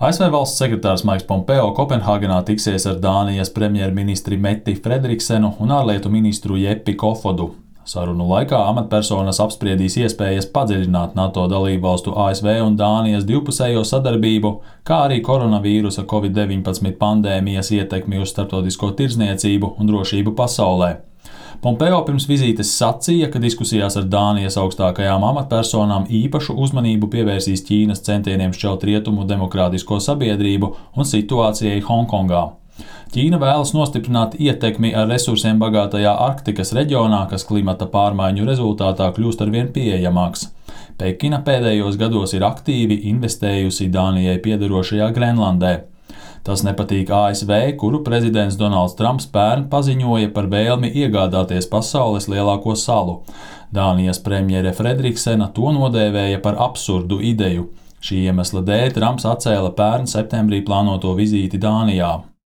ASV valsts sekretārs Maiks Pompeo Kopenhāgenā tiksies ar Dānijas premjerministri Mette Frederiksenu un ārlietu ministru Jeppi Kofodu. Sarunu laikā amatpersonas apspriedīs iespējas padziļināt NATO dalībvalstu ASV un Dānijas divpusējo sadarbību, kā arī koronavīrusa Covid-19 pandēmijas ietekmi uz starptautisko tirdzniecību un drošību pasaulē. Pompeo pirms vizītes sacīja, ka diskusijās ar Dānijas augstākajām amatpersonām īpašu uzmanību pievērsīs Ķīnas centieniem šķelt rietumu demokrātisko sabiedrību un situācijai Honkongā. Ķīna vēlas nostiprināt ietekmi ar resursiem bagātajā Arktikas reģionā, kas klimata pārmaiņu rezultātā kļūst arvien pieejamāks. Pekina pēdējos gados ir aktīvi investējusi Dānijai piederošajā Grenlandē. Tas nepatīk ASV, kuru prezidents Donalds Trumps pērn paziņoja par vēlmi iegādāties pasaules lielāko salu. Dānijas premjere Frederiksena to nodēvēja par absurdu ideju. Šī iemesla dēļ Trumps atcēla pērn septembrī plānoto vizīti Dānijā.